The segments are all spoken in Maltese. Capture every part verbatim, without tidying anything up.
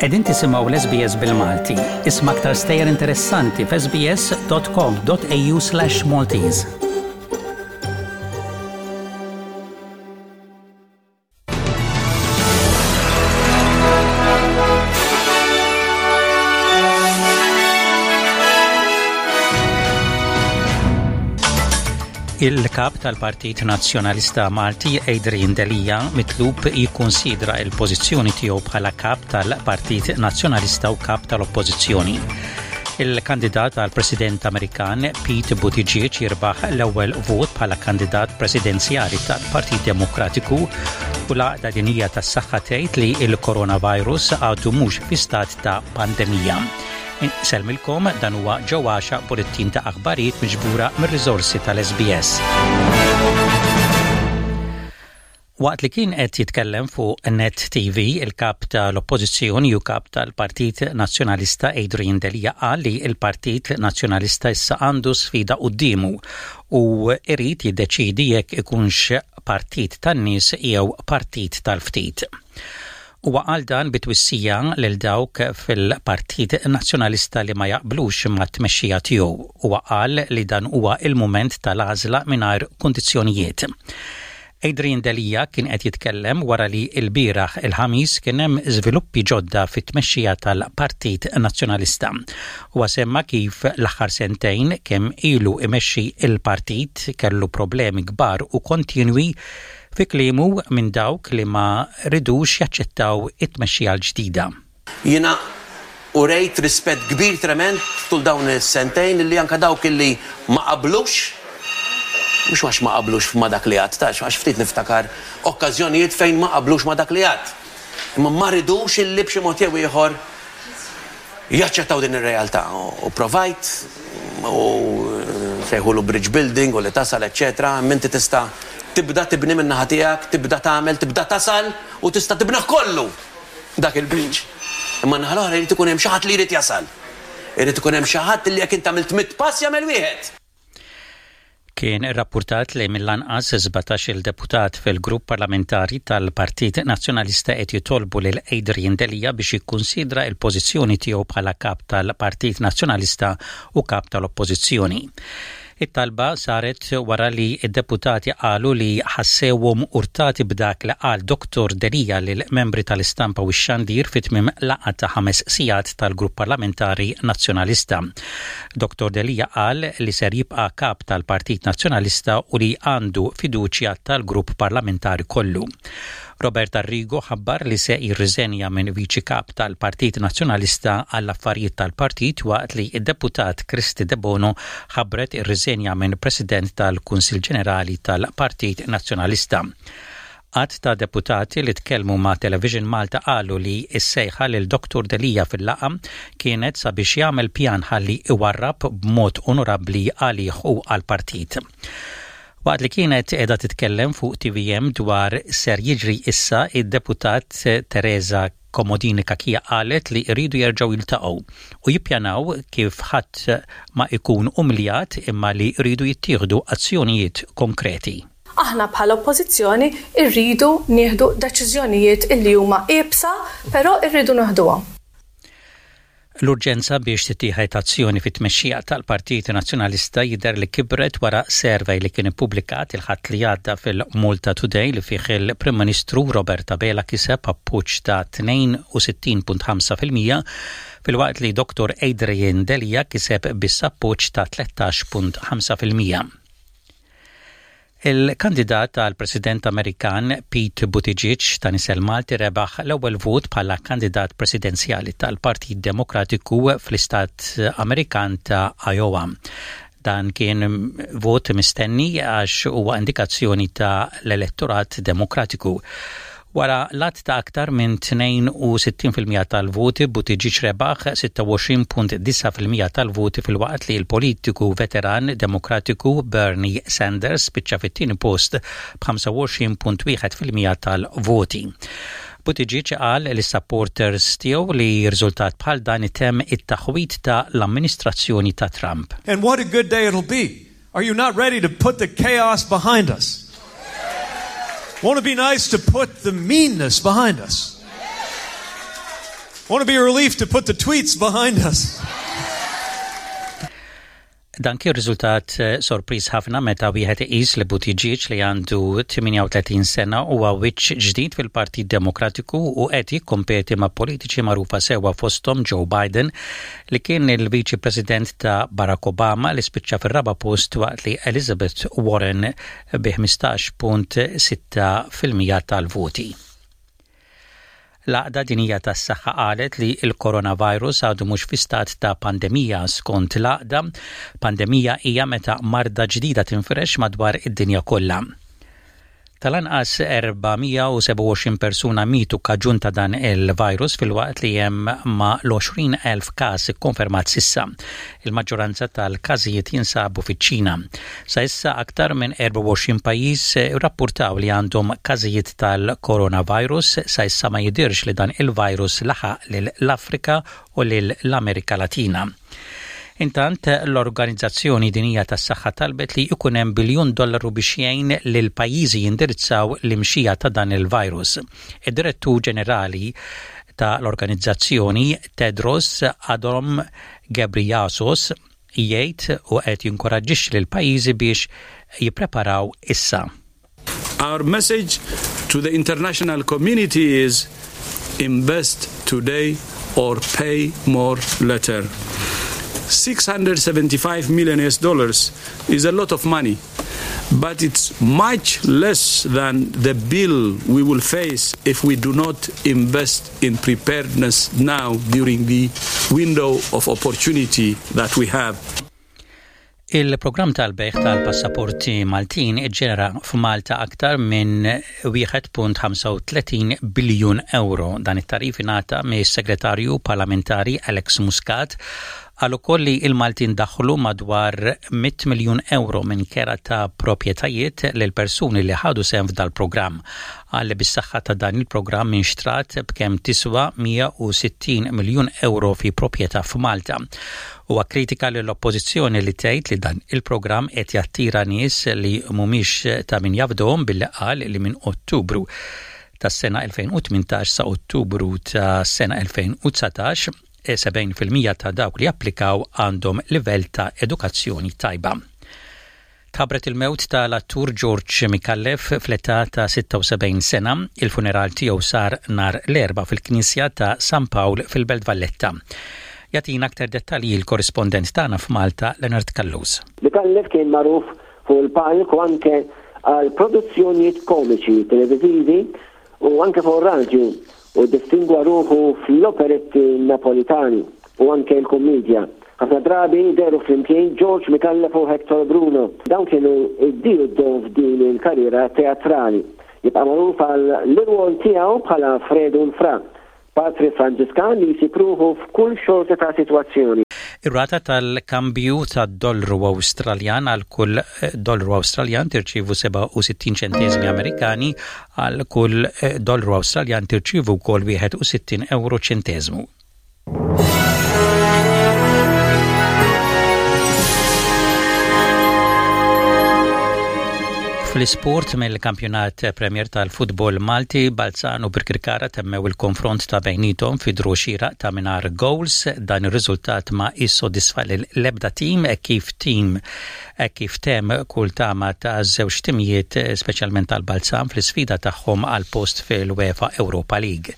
Qegħdin tisimgħu l-S B S bil-Malti. Isma' aktar stejjer interessanti f'S B S dot com dot A U slash Maltese. Il-kap tal-Partit Nazzjonalista Malti Adrian Delia mitlub jikkonsidra il-pożizzjoni tiegħu bħala kap tal-Partit Nazzjonalista u kap tal-Oppożizzjoni. Il-kandidat għal President Amerikan Pete Buttigieg jirbaħ l-ewwel vot bħala kandidat presidenzjali tal-Partit Demokratiku u l-Għaqda Dinjija tas-Saħħa tgħid li il-coronavirus għadu mhux fi stat ta' pandemija. Insellmilkom, dan huwa ġewwaxa bulettin ta' aħbarijiet miġbura mir-riżorsi tal-S B S. Waqt li kien qed jitkellem fuq Net T V, il-kap tal-Oppożizzjoni u kap tal-Partit Nazzjonalista Adrian Delia qal li il-Partit Nazzjonalista issa għandu sfida quddiemu u irid jiddeċidi jekk ikunx partit tan-nies jew partit tal-ftit. Huwa qal dan bitwissija lil dawk fil-Partit Nazzjonalista li ma jaqblux ma' tmexxija tiegħu. Huwa qal li dan huwa il-mument tal-għażla mingħajr kundizzjonijiet. Adrian Delia kien qed jitkellem wara li l-bieraħ il-Ħamis kien hemm żviluppi ġodda fit-tmexxija tal-Partit Nazzjonalista. Huwa semma kif l-aħħar sentejn kemm ilu imexxi il-partit kellu problemi kbar u kontinwi, fi kliemu, minn dawk li ma ridux jaċċettaw it-tmexxija l-ġdida. Jiena urejt rispett kbir trement tul dawn is-sentejn li anka dawk illi ma qablux, mhux għax ma qablux ma dak li għedt, tax għax ftit niftakar okkażjonijiet fejn ma qablux ma dak li għedt. Imma ma ridux illi b'xi mod jew ieħor jaċċettaw din ir-realtà. U provajt u sejħulu bridge building u li tasal, eċċetera. Inti tista' tibda tibni minn naħa tiegħek, tibda tagħmel, tibda tasal u tista' tibnaħ kollu dak il-bridge. Imma naħa l-oħra jrid ikun hemm xi ħadd li jrid jasal. Irid ikun hemm xi ħadd li jekk int għamilt mitt pass jagħmel wieħed. Kien irrappurtat li mill-anqas sbatax il-deputat fil-grupp parlamentari tal-Partit Nazzjonalista qed jitolbu lil Adrian Delia biex jikkunsidra il-pożizzjoni tiegħu bħala kap tal-Partit Nazzjonalista u kap tal-Oppożizzjoni. It-talba saret wara li id-deputati qalu li ħassewhom urtati b'dak li qal Doktor Delia lil membri tal-istampa u x-xandir fi tmiem laqgħa ta' ħames sigħat tal-grupp parlamentari nazzjonalista. Doktor Delia qal li ser jibqa' kap tal-Partit Nazzjonalista u li għandu fiduċja tal-grupp parlamentari kollu. Robert Arrigo ħabbar li se jirriżenja minn viċi kap tal-Partit Nazzjonalista għall-affarijiet tal-partit, waqt li id-deputat Kristy Debono ħabbret ir-riżenja minn President tal-Kunsil Ġenerali tal-Partit Nazzjonalista. Għadd ta' deputati li tkellmu ma' Television Malta qalu li s-sejħa lil Doktor Delia fil-laqgħa kienet sabiex jagħmel pjan ħalli iwarrab b'mod onorabbli għalih u għal-partit. Waqt li kienet qiegħda titkellem fuq T V M dwar ser jiġri issa, id-deputat Teresa Comodini Cachia qalet li jridu jerġgħu jiltaqgħu u jippjanaw kif ħadd ma ikun umljat, imma li jridu jittieħdu azzjonijiet konkreti. Aħna bħala oppożizzjoni irridu nieħdu deċiżjonijiet illi huma iebsa, però irridu nieħduhom. L-urġenza biex tittieħed azzjoni fit-tmexxija tal-Partit Nazzjonalista jidher li kibret wara survey li kien ippubblikat il-Ħadd li għadda fil-Malta Today li fih il-Prim Ministru Robert Abela kiseb appoġġ ta' tnejn u sittin punt ħamsa fil-mija, filwaqt li Doktor Adrian Delia kiseb biss appoġġ ta' tlettax punt ħamsa fil-mija. Il-kandidat għal President Amerikan Pete Buttigieg ta' nisel Malti rebaħ l-ewwel vot bħala kandidat presidenzjali tal-Partit Demokratiku fl-Istat Amerikan ta' Iowa. Dan kien vot mistenni għax huwa indikazzjoni ta' l-elettorat demokratiku. Wara l-għadd ta' aktar minn tnejn u sittin fil-mija tal-voti, Buttigieg rebaħ sitta u għoxrin punt disgħa fil-mija tal-voti, filwaqt li l-politiku veteran demokratiku Bernie Sanders spiċċa fit-tieni post b'ħamsa u għoxrin punt wieħed fil-mija tal-voti. Buttigieg qal lis-supporters tiegħu li riżultat bħal dan itemm it-taħwit ta' l-amministrazzjoni ta' Trump. And what a good day it'll be. Are you not ready to put the chaos behind us? Won't it be nice to put the meanness behind us? Won't it be a relief to put the tweets behind us? Dan kien riżultat eh, sorpriż ħafna meta wieħed iqis li Buttigieg, li għandu tmienja u tletin sena, huwa wiċċ ġdid fil-Partit Demokratiku u qed jikkompeti ma' politiċi magħrufa sewwa, fosthom Joe Biden, li kien il-Viċi President ta' Barack Obama, li spiċċa fir-raba' post, waqt li Elizabeth Warren bi ħmistax punt sitta fil-mija tal-voti. L-Għaqda Dinjija tas-Saħħa qalet li l-coronavirus għadu mhux fi stat ta' pandemija. Skont l-għaqda, pandemija hija meta marda ġdida tinfirex madwar id-dinja kollha. Tal-anqas erba' mija u sebgħa u għoxrin persuna mitu kaġun ta' dan il-virus, filwaqt li hemm ma' l-għoxrin elf każ ikkonfermat s'issa. Il-maġġoranza tal-każijiet jinsabu fiċ-Ċina. Sa issa aktar minn erbgħa u għoxrin pajjiż rapportaw li għandhom każijiet tal-coronavirus. Sa issa ma jidirx li dan il-virus laħaq lill-Afrika u lill-Amerika Latina. Intant, l-Organizzazzjoni Dinjija tas-Saħħa talbet li jkun hemm biljun dollaru biex jgħin lil pajjiżi jindirizzaw l-imxija ta' dan il-virus. Id-Direttur Ġenerali ta' l-organizzazzjoni, Tedros Adhanom Ghebreyesus, jgħid u qed jinkoraġġixxi lil pajjiżi biex jippreparaw issa. Our message to the international community is invest today or pay more later. six hundred seventy-five million U S dollars is a lot of money, but it's much less than the bill we will face if we do not invest in preparedness now during the window of opportunity that we have. Il-programm tal-bejgħ tal-passaporti Maltin iġġenera f'Malta aktar minn wieħed punt ħamsa u tletin biljun euro. Dan it-tagħrif ingħata mis-Segretarju Parlamentari Alex Muscat. Qal ukoll li il-Maltin daħlu madwar mitt miljun euro minn kera ta' proprjetajiet lil persuni li ħadu sehem f'dal-programm. Qal li bis-saħħa ta' dan il-programm inxtrat b'kemm tiswa mija u sittin miljun euro fi proprjetà f'Malta. Huwa kritika lill-oppożizzjoni li tgħid li dan il-programm qed jattira nies li mhumiex ta' min jafdhom, billi qal li minn Ottubru tas-sena elfejn u tmintax sa Ottubru ta' sena elfejn u dsatax, sebgħin fil-mija ta' dawk li applikaw għandhom livell ta' edukazzjoni tajba. Tħabbret il-mewt tal-attur George Micallef fl-età ta' sitta u sebgħin sena. Il-funeral tiegħu sar nhar l-Erbgħa fil-Knisja ta' San Pawl fil-Belt Valletta. Jagħtina aktar dettalji il-korrispondent tagħna f'Malta, Leonard Callus. Micallef kien magħruf fuq il-palk u anke għal produzzjonijiet komiċi televizivi u anke fuq radio, u distingwa ruħu fl-operetti Napolitani u anke l-kommedja. Ħafna drabi dehru flimkien George Micallef u Hector Bruno. Dawn kienu id-diju f'din il-karriera teatrali. Jibqa' magħruf għal l-irwol tiegħu bħala Fredu Fra, Patri Franġiskan li jsib ruħu f'kull xorta ta' sitwazzjoni. Ir-rata tal-kambju tad-dollaru Awstraljan: għal kull dollaru Awstraljan tirċivu sebgħa u sittin ċentesmi Amerikani, għal kull dollaru Awstraljan tirċivu wkoll wieħed u sittin euro ċentesmu. Fl-isport, mill-kampjonat Premier tal-futbol Malti, Balzan u Birkirkara temmew il-konfront ta' bejnietom fi draw xieraq ta' mingħajr goals. Dan ir-riżultat ma jissodisfa l-ebda tim e kif tim e kif temm kull tama ta' żewġ timijiet, speċjalment tal-Balzan, fl-isfida tagħhom għal post fil-UEFA Europa League.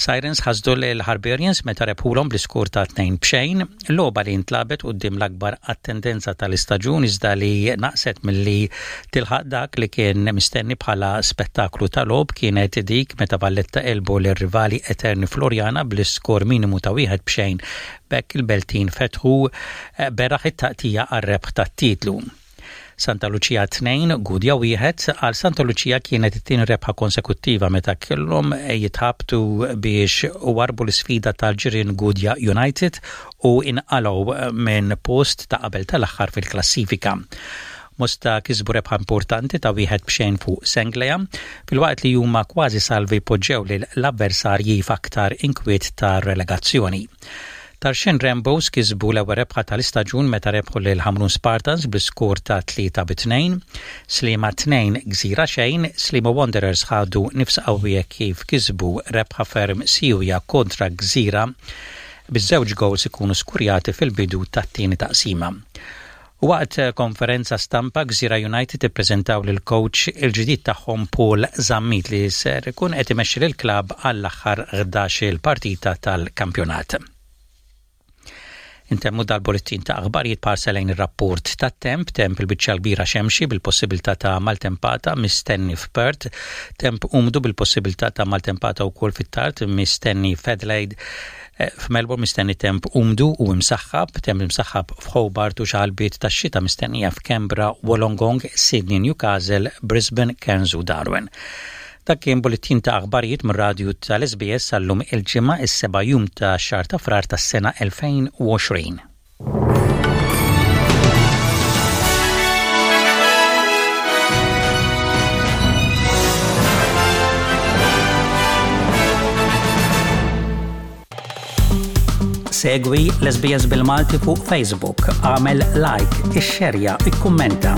Sirens ħasdu l-Harbarians meta rebħulhom bl-iskur ta' tnejn bxejn, logħba li ntlagħbet quddiem l-akbar attendenza tal-istaġun, iżda li naqset milli tilħaq dak li kien mistenni bħala spettaklu tal-logħob kienet dik meta Valletta għelbu l-rivali eterni Floriana bl-iskor minimu ta' wieħed bxejn. B'hekk il-Beltin fetħu beraħ it-taqtigħa għar-rebħ tat-titlu. Santa Lucia tnejn, Gudja wieħed. Għal Santa Lucia kienet it-tieni rebħa konsekuttiva meta kellhom jitħabtu biex warbu l-sfida tal-ġirien Gudja United u inqalgħu minn post ta' qabel tal-aħħar fil-klassifika. Mosta kisbu rebħa importanti ta' wieħed bxejn fuq Senglea, filwaqt li huma kważi salvi poġġew lil l-avversarji f'aktar inkwiet ta' relegazzjoni. Tarxien Rainbows kisbu l-ewwel rebħa tal-istaġun meta rebħu lil Ħamrun Spartans bl-iskor ta' tlieta bi tnejn. Sliema tnejn, Gżira xejn. Sliema Wanderers ħadu nifs qawwija kif kisbu rebħa ferm siwja kontra Gżira, biż-żewġ goals ikunu skurjati fil-bidu tat-tieni taqsima. Waqt konferenza stampa, Gżira United ippreżentaw lil coach il-ġdid tagħhom, Paul Zammit, li ser ikun qed imexxi lil klabb għall-aħħar ħdax-il partita tal-kampjonat. Intemmu dal-bullettin ta' aħbarijiet b'ħarsa lejn ir-rapport ta' temp. Temp il-biċċa kbira xemxi bil-possibilità ta' maltempata mistenni f'Perth, temp umdu bil-possibilità ta' maltempata wkoll fit-tard mistenni f'Adelaide. Eh, F'Melbourne mistenni temp umdu u imsaħħab, temp imsaħħab f'Hobart u xalbiet ta' xita mistennija f'Canberra, Wollongong, Sydney, Newcastle, Brisbane, Cairns u Darwin. Dak kien bullettin ta' aħbarijiet mir-radju tal-S B S għal-lum, il-Ġimgħa, is-seba' jum ta' xahar ta' Frar tas-sena elfejn u għoxrin. Segwi l-S B S bil-Malti fuq Facebook, għamel like, ixxerja, ikkummenta.